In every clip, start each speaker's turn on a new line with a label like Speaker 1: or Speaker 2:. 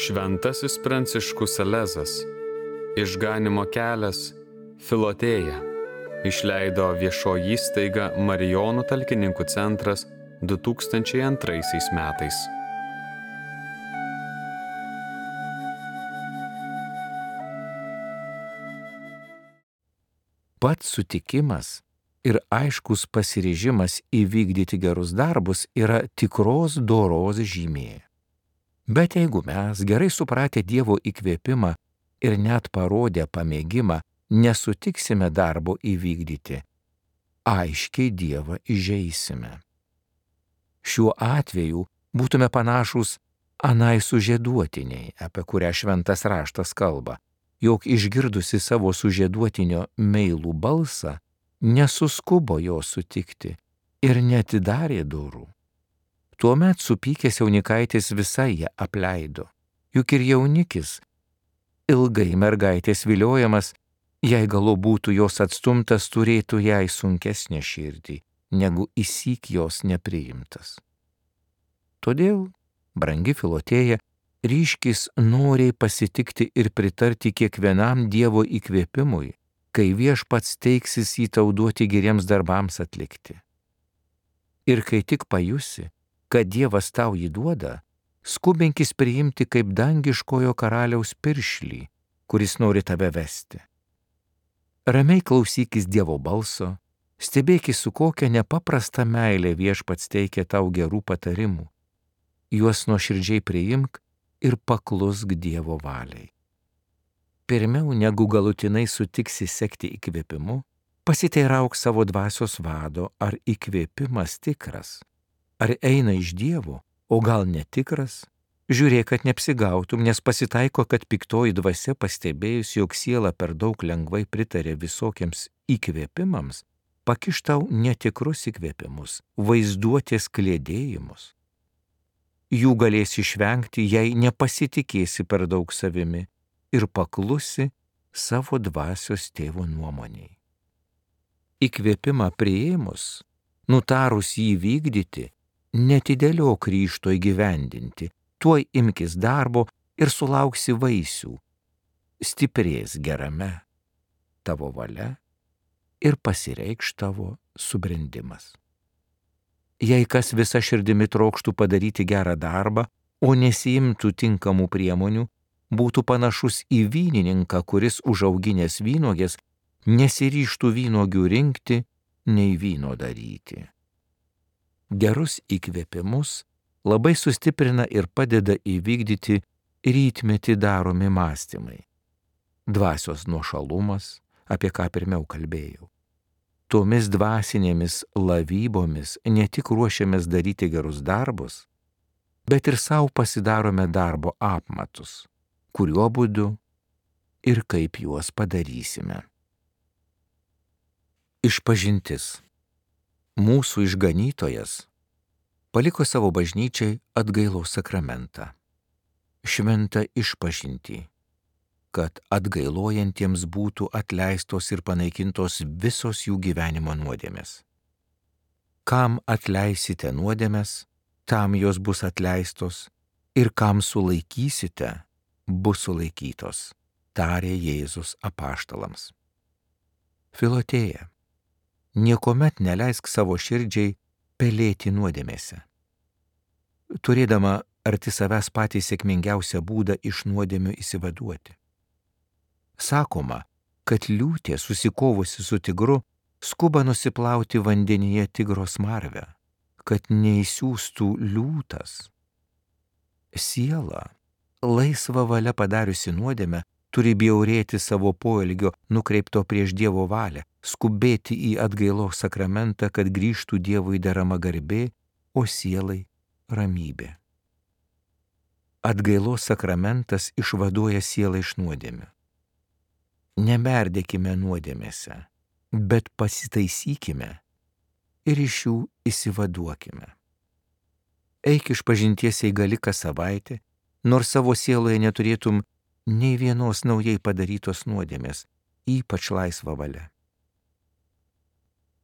Speaker 1: Šventasis Pranciškus Salezas, Išganymo kelias, Filotėja, išleido viešoji įstaiga Marijonų talkininkų centras 2002 metais.
Speaker 2: Pats sutikimas ir aiškus pasiryžimas įvykdyti gerus darbus yra tikros doros žymė. Bet jeigu mes, gerai supratę Dievo įkvėpimą ir net parodę pamėgimą, nesutiksime darbo įvykdyti, aiškiai Dievą įžeisime. Šiuo atveju būtume panašūs anai sužieduotiniai, apie kurią šventas raštas kalba, jog išgirdusi savo sužieduotinio meilų balsą, nesuskubo jo sutikti ir neatidarė durų. Tuomet supykęs jaunikaitis visai ją apleido, juk ir jaunikis, ilgai mergaitės viliojamas, jei galu būtų jos atstumtas, turėtų jai sunkesnę širdį, negu įsyk jos nepriimtas. Todėl, brangi Filotėja, ryškis noriai pasitikti ir pritarti kiekvienam Dievo įkvėpimui, kai Viešpats teiksis jį tau duoti geriems darbams atlikti. Ir kai tik pajusi, kad Dievas tau jį duoda, skubinkis priimti kaip dangiškojo karaliaus piršlį, kuris nori tave vesti. Ramiai klausykis Dievo balso, stebėkis, su kokia nepaprasta meilė Viešpats teikia tau gerų patarimų. Juos nuoširdžiai priimk ir paklusk Dievo valiai. Pirmiau, negu galutinai sutiksi sekti įkvėpimu, pasiteirauk savo dvasios vado, ar įkvėpimas tikras, ar eina iš Dievo, o gal netikras. Žiūrėk, kad neapsigautum, nes pasitaiko, kad piktoji dvasia pastebėjus, jog siela per daug lengvai pritarė visokiems įkvėpimams, pakiš tau netikrus įkvėpimus, vaizduotės kliedėjimus. Jų galėsi išvengti, jei nepasitikėsi per daug savimi ir paklusi savo dvasios tėvo nuomoniai. Įkvėpimą priėmus, nutarus jį vykdyti, netidėliok ryžto įgyvendinti, tuoj imkis darbo ir sulauksi vaisių, stiprės gerame tavo valia ir pasireikš tavo subrendimas. Jei kas visa širdimi trokštų padaryti gerą darbą, o nesiimtų tinkamų priemonių, būtų panašus į vynininką, kuris užauginęs vynuogės nesiryžtų vynuogių rinkti, nei vyno daryti. Gerus įkvėpimus labai sustiprina ir padeda įvykdyti rytmetį daromi mąstymai. Dvasios nuošalumas, apie ką pirmiau kalbėjau. Tomis dvasinėmis lavybomis ne tik ruošiamės daryti gerus darbus, bet ir savo pasidarome darbo apmatus, kuriuo būdu ir kaip juos padarysime. Išpažintis. Mūsų išganytojas paliko savo bažnyčiai atgailos sakramentą, šventą išpažintį, kad atgailojantiems būtų atleistos ir panaikintos visos jų gyvenimo nuodėmės. Kam atleisite nuodėmes, tam jos bus atleistos, ir kam sulaikysite, bus sulaikytos, tarė Jėzus apaštalams. Filotėja, niekuomet neleisk savo širdžiai pelėti nuodėmėse. Turėdama arti savęs patį sėkmingiausią būdą iš nuodėmių išsivaduoti. Sakoma, kad liūtė susikovusi su tigru skuba nusiplauti vandenyje tigro smarvę, kad neįsiųstų liūtas. Siela, laisva valia padariusi nuodėmę, turi bjaurėti savo poelgio nukreipto prieš Dievo valią, skubėti į atgailos sakramentą, kad grįžtų Dievui derama garbė, o sielai ramybė. Atgailos sakramentas išvaduoja sielą iš nuodėmių. Nemerdėkime nuodėmėse, bet pasitaisykime ir iš jų išsivaduokime. Eik išpažinties eigali kas savaitę, nors savo sieloje neturėtum nei vienos naujai padarytos nuodėmės, ypač laisva valia.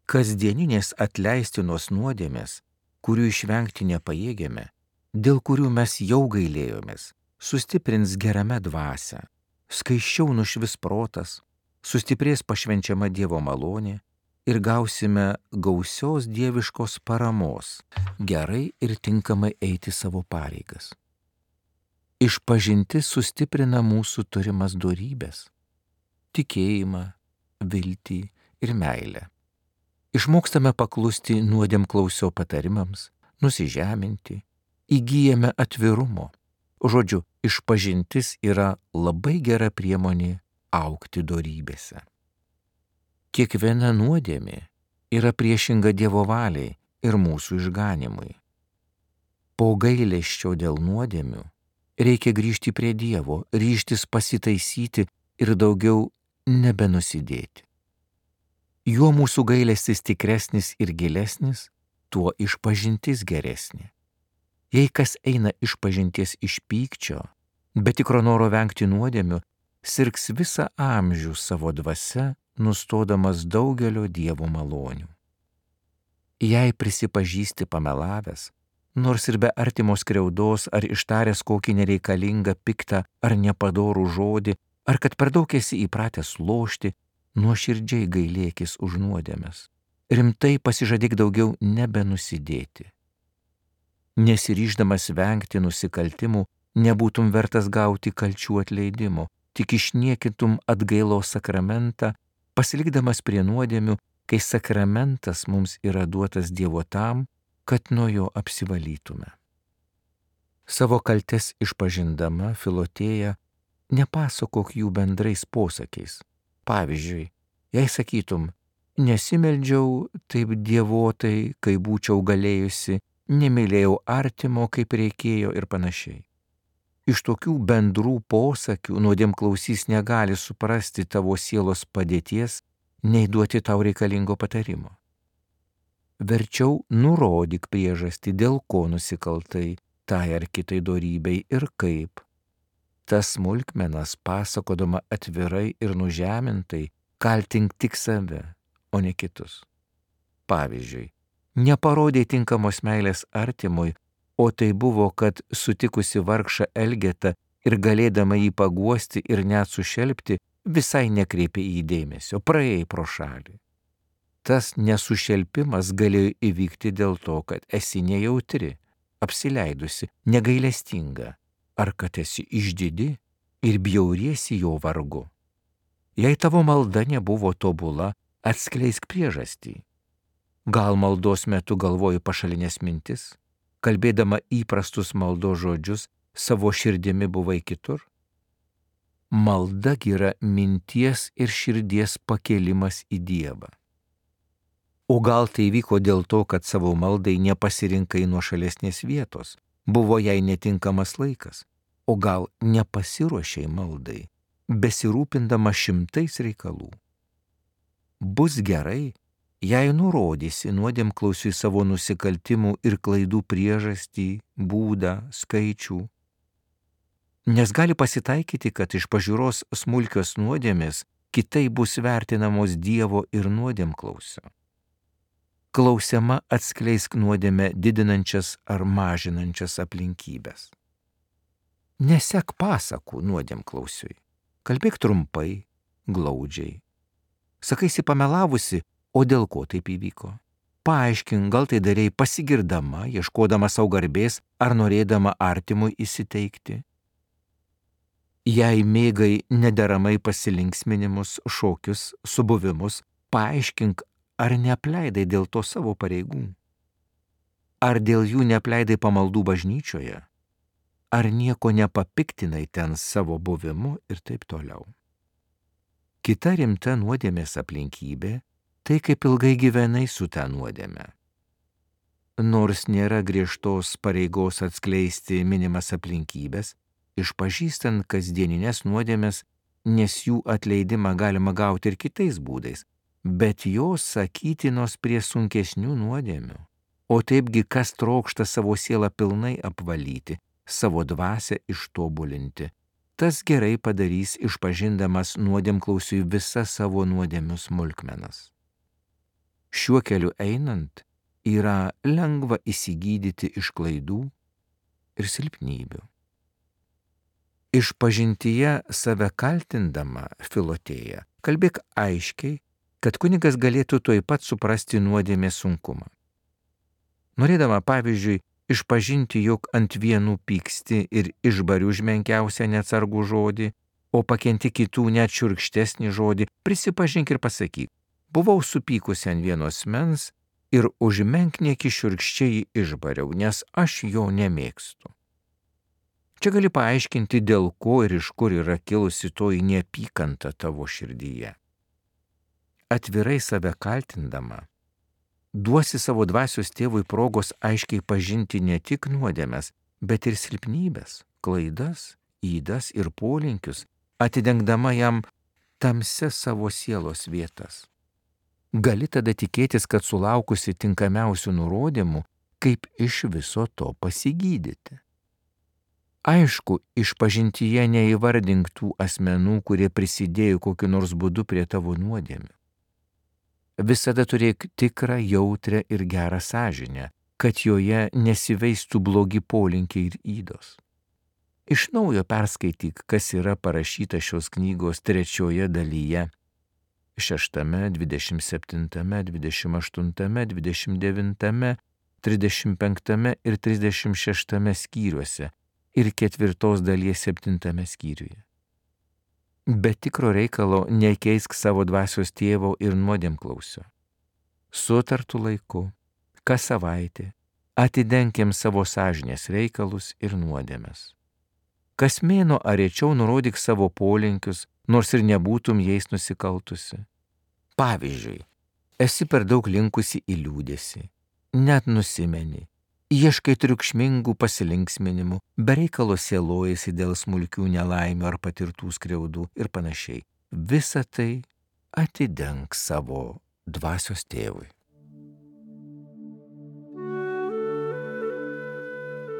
Speaker 2: Kasdieninės atleistinos nuodėmės, kurių išvengti nepajėgėme, dėl kurių mes jau gailėjomės, sustiprins gerame dvasią, skaisčiau nušvis protas, sustiprės pašvenčiama Dievo malonė ir gausime gausios dieviškos paramos, gerai ir tinkamai eiti savo pareigas. Išpažintis sustiprina mūsų turimas dorybes – tikėjimą, viltį ir meilę. Išmokstame paklusti nuodėmklausio patarimams, nusižeminti, įgyjame atvirumo. Žodžiu, išpažintis yra labai gera priemonė augti dorybėse. Kiekviena nuodėmė yra priešinga Dievo valiai ir mūsų išganimui. Po gailesčio dėl nuodėmių reikia grįžti prie Dievo, ryžtis pasitaisyti ir daugiau nebenusidėti. Juo mūsų gailestis tikresnis ir gilesnis, tuo išpažintis geresnė. Jei kas eina išpažinties iš pykčio, bet tikro noro vengti nuodėmių, sirgs visą amžių savo dvasia, nustodamas daugelio Dievo malonių. Jei prisipažįsti pamelavęs, nors ir be artimos skriaudos ar ištaręs kokį nereikalingą, piktą ar nepadorų žodį, ar kad per daug esi įpratęs lošti, nuoširdžiai gailėkis už nuodėmes. Rimtai pasižadėk daugiau nebenusidėti. Nesiryždamas vengti nusikaltimų, nebūtum vertas gauti kalčių atleidimo, tik išniekintum atgailos sakramentą, pasilikdamas prie nuodėmių, kai sakramentas mums yra duotas Dievo tam, kad nuo jo apsivalytume. Savo kaltes išpažindama Filotėja nepasakok jų bendrais posakiais. Pavyzdžiui, jei sakytum, nesimeldžiau taip dievotai, kai būčiau galėjusi, nemylėjau artimo, kaip reikėjo ir panašiai. Iš tokių bendrų posakių nuodėmklausys negali suprasti tavo sielos padėties, nei duoti tau reikalingo patarimo. Verčiau nurodyk priežastį, dėl ko nusikaltai tai ar kitai dorybei ir kaip. Tas smulkmenas pasakodama atvirai ir nužemintai kaltink tik save, o ne kitus. Pavyzdžiui, neparodė tinkamos meilės artimui, o tai buvo, kad sutikusi vargšą Elgetą ir galėdama jį paguosti ir net sušelpti, visai nekreipė į jį dėmesio, praėjai pro šalį. Tas nesušelpimas galėjo įvykti dėl to, kad esi nejautri, apsileidusi, negailestinga, ar kad esi išdidi ir bjauriesi jo vargu. Jei tavo malda nebuvo tobula, atskleisk priežastį. Gal maldos metu galvoji pašalinės mintis, kalbėdama įprastus maldos žodžius, savo širdimi buvai kitur? Malda yra minties ir širdies pakėlimas į Dievą. O gal tai vyko dėl to, kad savo maldai nepasirinkai nuošalesnės vietos, buvo jai netinkamas laikas, o gal nepasiruošei maldai, besirūpindama šimtais reikalų. Bus gerai, jei nurodysi nuodėmklausiui savo nusikaltimų ir klaidų priežastį, būdą, skaičių. Nes gali pasitaikyti, kad iš pažiūros smulkios nuodėmės kitai bus vertinamos Dievo ir nuodėmklausio. Klausiama atskleisk nuodėmę didinančias ar mažinančias aplinkybės. Nesek pasakų nuodėmklausiui, kalbėk trumpai, glaudžiai. Sakaisi pamelavusi, o dėl ko taip įvyko? Paaiškink, gal tai darei pasigirdama, ieškodama savo garbės ar norėdama artimui įsiteikti. Jei mėgai nederamai pasilinksminimus, šokius, subuvimus, paaiškink, ar neapleidai dėl to savo pareigų? Ar dėl jų neapleidai pamaldų bažnyčioje? Ar nieko nepapiktinai ten savo buvimu ir taip toliau? Kita rimta nuodėmės aplinkybė – tai kaip ilgai gyvenai su ta nuodėme. Nors nėra griežtos pareigos atskleisti minimas aplinkybės, išpažįstant kasdieninės nuodėmes, nes jų atleidimą galima gauti ir kitais būdais, bet jos sakytinos prie sunkesnių nuodėmių. O taipgi kas trokšta savo sielą pilnai apvalyti, savo dvasią ištobulinti, tas gerai padarys išpažindamas nuodėmklausiui visas savo nuodėmių smulkmenas. Šiuo keliu einant yra lengva įsigydyti iš klaidų ir silpnybių. Išpažintyje save kaltindama Filotėja, kalbėk aiškiai, kad kunigas galėtų tuoj pat suprasti nuodėmės sunkumą. Norėdama, pavyzdžiui, išpažinti, jog ant vienų pyksti ir išbari už menkiausią neatsargų žodį, o pakenti kitų net šiurkštesnį žodį, prisipažink ir pasakyk, buvau supykusi ant vieno asmens ir už menkniekį šiurkščiai išbariau, nes aš jo nemėgstu. Čia gali paaiškinti, dėl ko ir iš kur yra kilusi toji neapykanta tavo širdyje. Atvirai save kaltindama, duosi savo dvasios tėvui progos aiškiai pažinti ne tik nuodėmes, bet ir silpnybes, klaidas, ydas ir polinkius, atidengdama jam tamsias savo sielos vietas. Gali tada tikėtis, kad sulaukusi tinkamiausių nurodymų, kaip iš viso to pasigydyti. Aišku, išpažintyje neįvardink tų asmenų, kurie prisidėjo kokiu nors būdu prie tavo nuodėmių. Visada turėk tikrą, jautrę ir gerą sąžinę, kad joje nesiveistų blogi polinkiai ir ydos. Iš naujo perskaityk, kas yra parašyta šios knygos 3 dalyje, 6, 27, 28, 29, 35 ir 36 skyriuose ir 4 dalies 7 skyriuje. Be tikro reikalo nekeisk savo dvasios tėvo ir nuodėmklausio. Sutartu laiku, kas savaitę, atidenkim savo sąžinės reikalus ir nuodėmes. Kas mėnuo ar rečiau nurodyk savo polinkius, nors ir nebūtum jais nusikaltusi. Pavyzdžiui, esi per daug linkusi į liūdesį, net nusimeni, ieškai triukšmingų pasilinksminimų, be reikalo sielojasi dėl smulkių nelaimių ar patirtų skriaudų ir panašiai. Visa tai atidenk savo dvasios tėvui.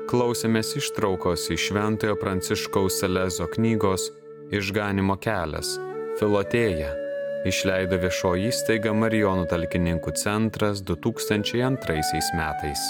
Speaker 1: Klausėmės ištraukos iš Šventojo Pranciškaus Salezo knygos Išganymo kelias – Filotėja. Išleido viešoji įstaiga Marijonų talkininkų centras 2002 metais.